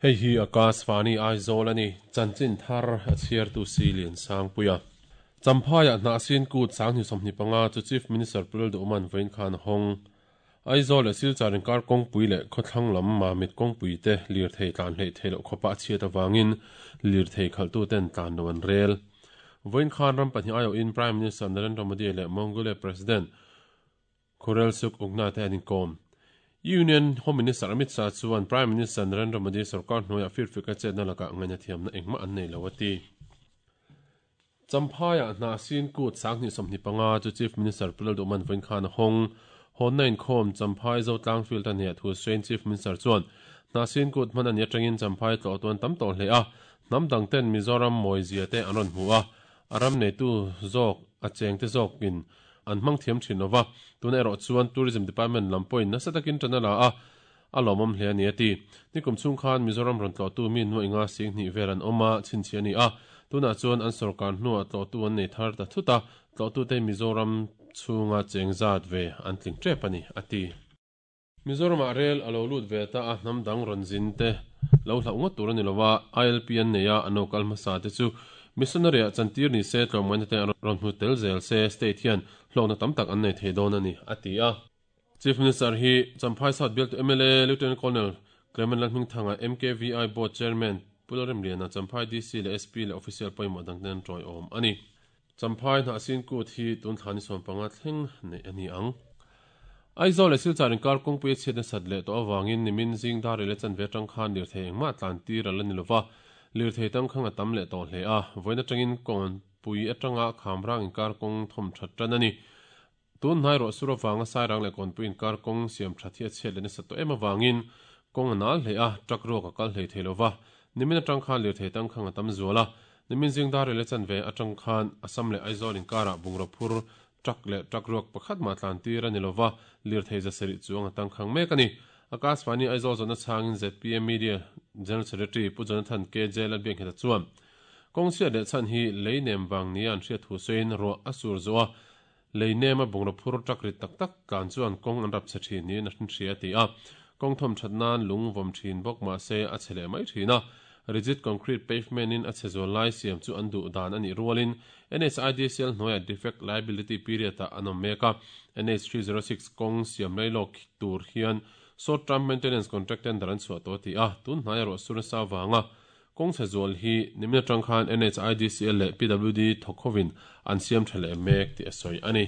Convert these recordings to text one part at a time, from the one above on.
Hei hi Akashvani Aizawl a ni, chanchin thar a chhiartu si Liansangpuia. Champhaiah Hnahsin Kut 2025 chu Chief Minister Pu Lalduhman vawiin khan a hawng. Aizawl leh Silchar inkar kawngpui leh khawthlang lam Mamit kawngpui te lirthei tlan hleih theih loh khawpa a chhiat avangin lirthei khalhtuten tlan lo an rel. Vawiin khan ram pahnih aiawhin Prime Minister Narendra Modi leh Mongolia President Khurelsukh Ugna te an inkawm. Union Home Minister Amit Shah chuan Prime Minister Narendra Modi sorkar hnuaiah firfika chetna lakah ngaihna thiamna engmah an nei lo a ti. Champhaiah hna sin kut 2025 chu Chief Minister Pu Lalduhman vawiin khan a hawng. Hawnna inkhawm Champhai Zotlang Field a hneah thu sawiin Chief Minister chuan hna sin kut hman a nih atangin Champhai tlawhtu an tam tawh hle a, hnam dang ten Mizoram mawizia te an rawn hmu a, a ram neitu zawk a chengte zawkin an hmang thiam thin lova, tunah erawh chuan Tourism Department lam pawhin nasa takin tan a la a, A lawmawm hle a ni a ti. Nikum chhung khan Mizoram rawn tlawhtu mi nuaih nga 2000 vel an awm a, chhinchhiah a ni a. Tunah chuan an sorkar hnuah tlawhtu an nei thar ta thut a, tlawhtute Mizoram chhunga cheng zat ve an tling tep a ni, a ti. Mizoramah rel a lo lut ve ta a, hnam dang rawn zin te lo hlauh ngawt tur a ni lo a, ILP an nei a, an lo kal hmasa te chu missionary-ah chantir ni se, tlawmngaihna te rawn hmu tel zel se, state hian hlawkna tam tak an nei thei dawn a ni, a ti a. Chief Minister hi Champhai South bialtu mla Lieutenant Colonel Clement Lalhmingthanga, MKVI Board Chairman Pu Lalremliana, Champhai DC leh SP leh official pawimawh dangte an tawiawm a ni. Champhai Hnahsin Kut hi tun thla ni 15 thleng neih a ni ang. Aizawl leh Silchar inkar kawngpui a chhiat nasat leh tawh avangin nimin zing dar rel a chanve atang khan lirthei engmah tlan tir a la ni lova, lirthei tangkhang a tam leh tawh hle a, vawiin atangin kawnpui atanga khamrang inkar kawng thawm that tan a ni. Tun hnai rawh sur avanga Sairang leh Kawnpui inkar kawng siam that hi a chhiat leh nasa tawh em avangin kawng a nal hle a, truck ruak a kal hlei thei lova. Nimin atang khan lirthei tangkhang a tam zual a, nimin zing dar rel a chanve atang khan Assam leh Aizawl inkarah bungraw phur truck leh truck ruak pakhat mah tlan tir a ni lova, lirthei za sarih chuang a tangkhang mek a ni. Akashvani Aizawl zawhna chhangin zpm Media General Secretary Pu Jonathan KJ Lalbiakngheta chuan kawng chhiat leh chhan hi lei nem vang nia an hriat thu sawiin ruah a sur zawh a, Lei nema bungraw phur truck rit tak tak tlan chuan kawng an rap chhe thin niin a hria a ti a. Kawng thawm that nan lung vawm thin bawk mah se a chhe leh mai thin a. Rigid concrete pavement in a chhe zual lai siam chu an duh dan a nih rualin NHIDCL hnuaiah defect liability period ah an awm mek a. NH306 kawng siam lai lawk tur hian short term maintenance contract tender an chhuah tawh a ti a. Tun hnai erawh sur nasa avanga Kawng chhe zual hi nimin atang khan NHIDCL leh PWD thawk hovin an siam tha leh mek tih a sawi a ni.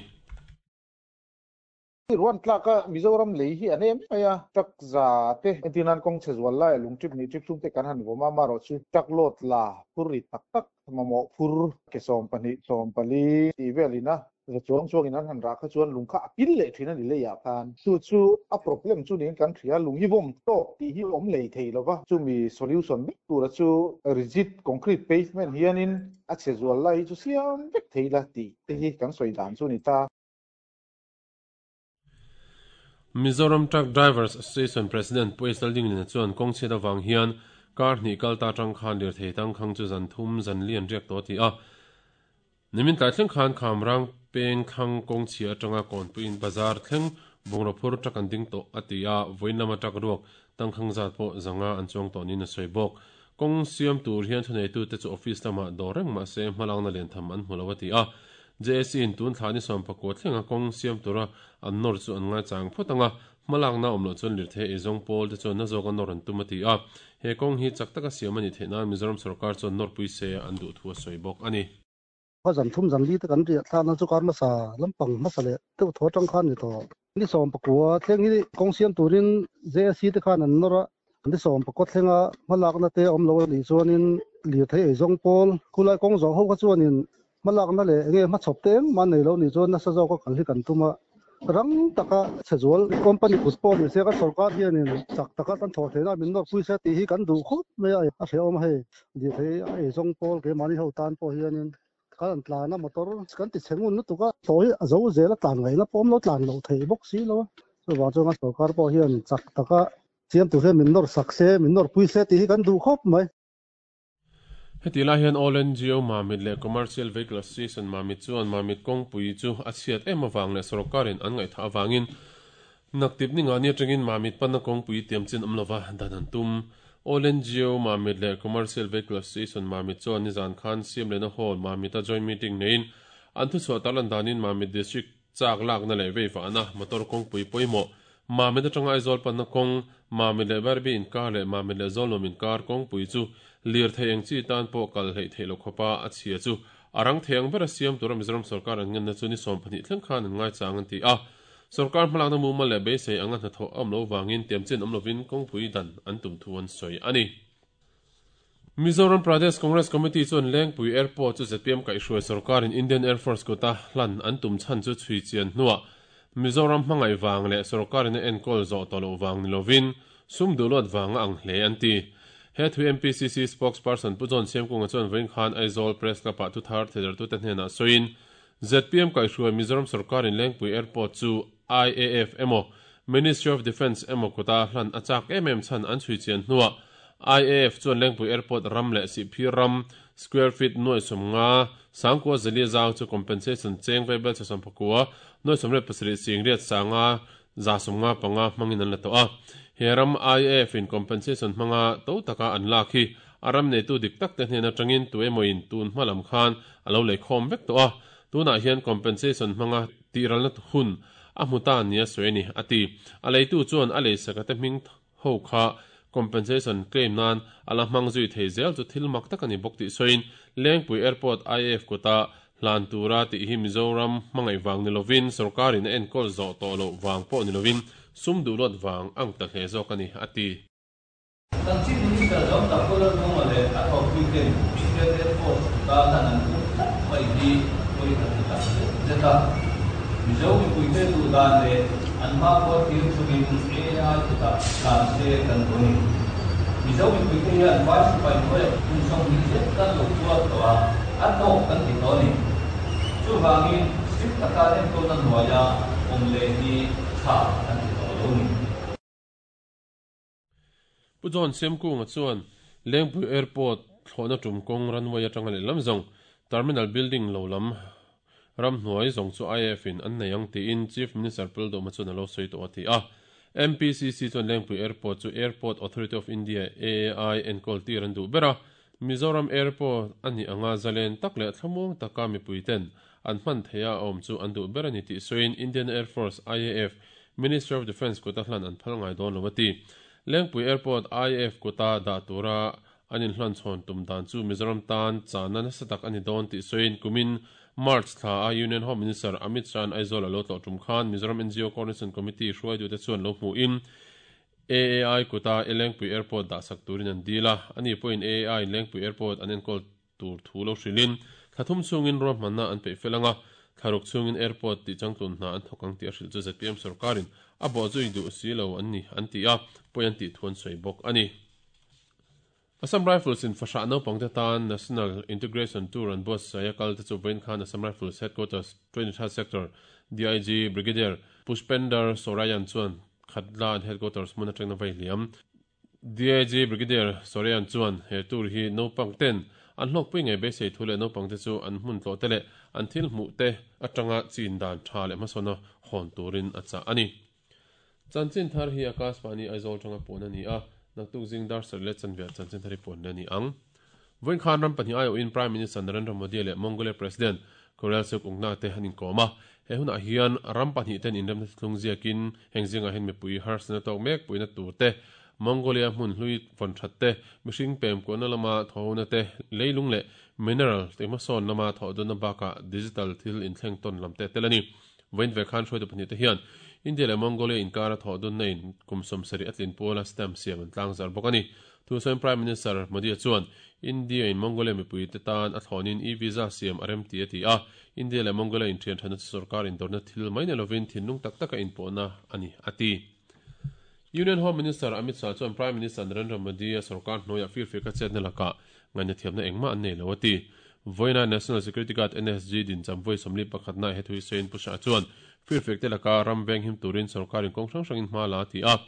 Ruan tlaka Mizoram lei hi a nem mai a, truck za te entir nan kawng chhe zual laia lung trip hnih trip thum te kan han vawm a, amaherawhchu truck load la phur rit tak tak mamawh phur ke 12 14 tih velin a Za chuang chuangin an han rah kha chuan lung kha a pil leh thin a ni leiah khan. Chu chu a problem chu niin kan hria, lung hi vawm tawk tih hi awm lei thei lo va, chumi solution vek tura chu rigid concrete pavement hianin a chhe zual lai hi chu siam vek thei la tih te hi kan sawi dan chu a ni ta. Mizoram Truck Drivers Association President Pu H Laldinglina chuan kawng chhiat avang hian kar hnih kal ta atang khan lirthei tangkhang chu zan thum zan li an riak tawh a ti a. Nimin tlai thleng khan Khamrang peng thlang kawng chhia atanga Kawnpuiin bazar thleng bungraw phur truck an ding tawh a ti a, vawiin lama truck ruak tangkhang zat pawh zanga an chuang tawh niin a sawi bawk. Kawng siam tur hian thuneitute chu office lamah dawr reng mah se hmalakna liantham an hmu lo a ti a. JAC in tun thla ni 19 thlenga kawng siam tura an nawr chu an ngaichang phawt ang a, hmalakna awm loh chuan lirthei eizawng pawl te chuan na zawka nawr an tum a ti a. He kawng hi chak taka siam a nih theih nan Mizoram sorkar chuan nawrpui se an duh thu a sawi bawk a ni. Khaw zan thum zan li te kan riah thlakna chu kar hmasa lampang hmasa leh deuh thaw atang khan ni tawh. Ni 19 thleng hi kawng siam turin JSC te khan an nawr a, ni 19 thlenga hmalakna te awm lo a nih chuanin lirthei eizawng pawl khulai kawng zawh ho kha chuanin hmalakna leh enge hmachhawp te engmah an nei lo nih chuan nasa zawka kal hi kan tum a. Rang taka chhe zual company kut pawh ni se kan sorkar hianin chak taka kan thawh theihna min nawrpui se tih hi kan duh khawp mai a, a hrehawm a hei. Lirthei a eizawng pawl keimahni ho tan pawh hianin kan han tlan a motor kan ti chhe ngun lutuk a, thaw hi a zo zel a tlan ngaihna pawh awm lo tlan loh theih bawk si lo a, chuvang chuan kan sorkar pawh hian chak taka siam tur hian min nawr sak se, min nawrpui se tih hi kan duh khawp mai. Heti lai hian All NGO Mamit leh Commercial Vehicle Association Mamit chuan Mamit kawngpui chu a chhiat em avang leh sawrkarin an ngaihthah avangin naktip ni ngah ni atangin Mamit panna kawngpui tiam chin awm lova dan an tum. All NGO Mamit leh Commercial Vehicle Association Mamit chuan nizan khan siam lehna hall Mamit-a joint meeting neiin an thuchhuah tarlan danin Mamit District Chak lakna leh veivahna motor kawngpui pawimawh, Mamit atanga Aizawl panna kawng, Mamit leh Bairabi inkar leh Mamit leh Zawlnuam inkar kawngpui chu lirthei eng chi tan pawh kal hleih theih loh khawpa a chhia chu a rang thei ang bera siam tura Mizoram sawrkar an ngenna chu ni 12 thleng khan an ngaichang an ti a. Sawrkar hmalakna mumal leh beisei anga hnathawh a awm loh vangin tiamchin awm lovin kawngpui dan an tum thu an sawi a ni. Mizoram Pradesh Congress Committee chuan Lengpui Airport chu zpm kaihhruai sawrkarin Indian Air Force kuta hlan an tum chhan chu chhui chian hnuah Mizoram hmangaih vang leh sawrkarin a enkawl zawh tawh loh vang ni lovin sum duhluat vang a ang hle an ti. He thu MPCC spokesperson Pu John Siamkunga chuan vawiin khan Aizawl Press Club-ah thuthar theidartute hnenah sawiin zpm kaihhruai Mizoram sawrkarin Lengpui Airport chu IAF emaw Ministry of Defence emaw kuta hlan a chak em em chhan an chhui chian hnuah IAF chuan Lengpui Airport ram leh Sihphir ram square feet nuai 50 sangkua zelia zau chu compensation cheng vaibel chhe 11 nuai 87 sing riat sanga za 55 hmangin an la tawh a. He ram IAF in compensation hmanga to taka an lak hi a ram neitu dik tak te hnen atangin tu emawin tun hma lam khan a lo lei khawm vek tawh a. Tunah hian compensation hmanga tihralna hun a hmu ta nia sawi a ni, a ti. A leitu chuan a leisaka te hming ho kha compensation claim nan a la hmang zui thei zel chu thil mak tak a ni bawk tih sawiin Lengpui Airport IAF kuta hlan tura tih hi Mizoram hmangaih vang ni lovin sawrkarin a enkawl zawh tawh loh vang pawh ni lovin sum duhluat vang ang ta hle zawk a ni, a ti. Kan Chief Minister John Thakur Lalmuanga leh a thawkpuiten Indian Air Force kuta hlan an tum tlat mai hi pawi kan ti tak zet zet a. Mizo mipuite duh dan leh an hmakhua thlir chungin AI kutah hlan se kan duh a ni. Mizo mipuite hian vai sipai hnuaiah kum 20 zet kan lo tuar tawh a, a tawk kan ti tawh a ni. Chuvangin strict taka enkawlna hnuaia awm leh hi tha kan ti tawh lo a ni. Pu John Siamkunga chuan Lengpui Airport thlawhna tum kawng runway atanga lehlam zawng Terminal Building lo lam ramhnuai zawng chu IAF in an nei ang tiin Chief Minister Pu Lalduhma chuan a lo sawi tawh a ti a. MPCC chuan Lengpui Airport chu Airport Authority of India, AAI, enkawl tir an duh ber a, Mizoram Airport a nih anga zalen tak leh thlamuang taka mipuiten an hman theiha a awm chu an duh ber a ni tih sawiin Indian Air Force, IAF, Ministry of Defence kuta hlan an phal ngai dawn lo a ti. Lengpui Airport IAF kuta dah tura an inhlanchhawn tum dan chu Mizoram tan chahna nasa tak a ni dawn tih sawiin kumin March thla a Union Home Minister Amit Shah-a'n Aizawl a lo tlawh tum khan Mizoram NGO Coordination Committee hruaitute chuan lo hmuhin AAI kuta Lengpui Airport dahsak turin an dil a, ani pawhin AAI-in Lengpui Airport an enkawl tur thu lo hrilhin thla thum chhungin ruahmanna an peih fel ang a, thla ruk chhungin airport tih changtlun hna an thawk ang tih a hrilh chu zpm sorkarin a bawhzui duh si lo an ni an ti a, pawi an tih thu an sawi bawk a ni. Assam Rifles in fahrah naupangte tan National Integration Tour an buatsaih a kal te chu vawiin khan Assam Rifles Headquarters 23rd Sector DIG Brigadier Pushpender Sorayan chuan Khatla an Headquarters hmun atangin a vai hliam. DIG Brigadier Sorean chuan he tour hi naupang ten an hlawkpui ngei beisei thu leh naupang te chu an hmun tlawh te leh an thil hmuh te atanga chin dan tha leh hmasawna hawn turin a chah a ni. Chanchin thar hi Akashvani Aizawl tanga puan a ni a, naktuk zing dar sarih leh chanve chanchin thar hi puan leh a ni ang. Vawiin khan ram pahnih aiawhin Prime Minister Narendra Modi leh Mongolia President Khurelsukh Ungna te an inkawm a. He hunah hian ram pahnih ten inremna thlung ziakin heng zingah hian mipui harsatna tawk mek puihna tur te, Mongolia hmun hlui vawn that te, mihring pem kuahna lama thawhona te, leilung leh mineral te hmasawn lama thawhdawnna bakah digital thil inthleng tawn lam te tel a ni. Vawiin ve khan hruaitu pahnih te hian India leh Mongolia inkara thawhdawnna in kum 70 a tlin puala stamp siam an tlangzar bawk a ni. Thusawiin Prime Minister Modi-a chuan India-in Mongolia mipuite tan a thlawnin e-visa siam a rem ti a ti a, India leh Mongolia inthian thatna chu sorkar indawrna thil mai ni lovin thinlung tak taka inpawhna a ni, a ti. Union Home Minister Amit Shah chuan Prime Minister Narendra Modi-a sorkar hnuaiah firfiaka chetna lakah ngainathiamna engmah an nei lo a ti. Vawiina National Security Guard, NSG, din chamvawi 41 na he thu hi sawiin Pu Shah chuan firfiak te laka ram venghim turin sorkarin kawng hrang hrangin hma la a ti a.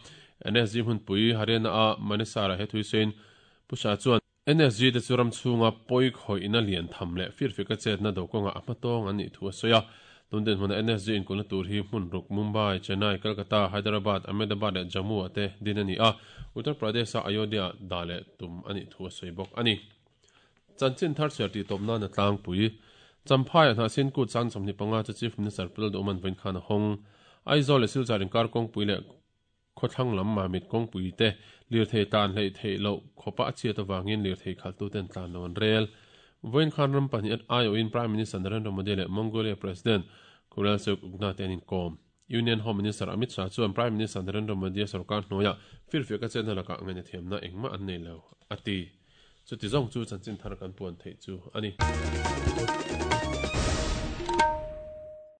NSG hmunpui Haryana-a Manesar-ah he thu hi sawiin Pu Shah chuan. NSG te chu ram chhunga pawi khawihna lian tham leh firfika chetna do kawngah a hmatawng an nih thu a sawi a. Tun dinhmuna NSG inkulhna tur hi hmun ruk Mumbai, Chennai, Kolkata, Hyderabad, Ahmedabad leh Jammu ah te din a ni a, Uttar Pradesh-a Ayodhya dah leh tum a nih thu a sawi bawk a ni. Chanchin thar chhiar tih tawp nana tlangpui Champhaiah Hnahsin Kut sang 25 chu Chief Minister Pu Lalduhman vawiin khan a hawng. Aizawl leh Silchar inkar kawngpui leh Khawthlang lam Mamit kawngpui te lirthei tlan hleih theih loh khawpa a chhiat avangin lirthei khalhtuten tlan lo an rel. Vawiin khan ram pahnih aiawhin Prime Minister Narendra Modi leh Mongolia President Khurelsukh Ukna te an inkawm. Union Home Minister Amit Shah chuan Prime Minister Narendra Modi-a sorkar hnuaiah firfiak a chetna lakah ngainathiamna engmah an nei lo, a ti. Chuti zawng chu chanchin thar kan puan theih chu a ni.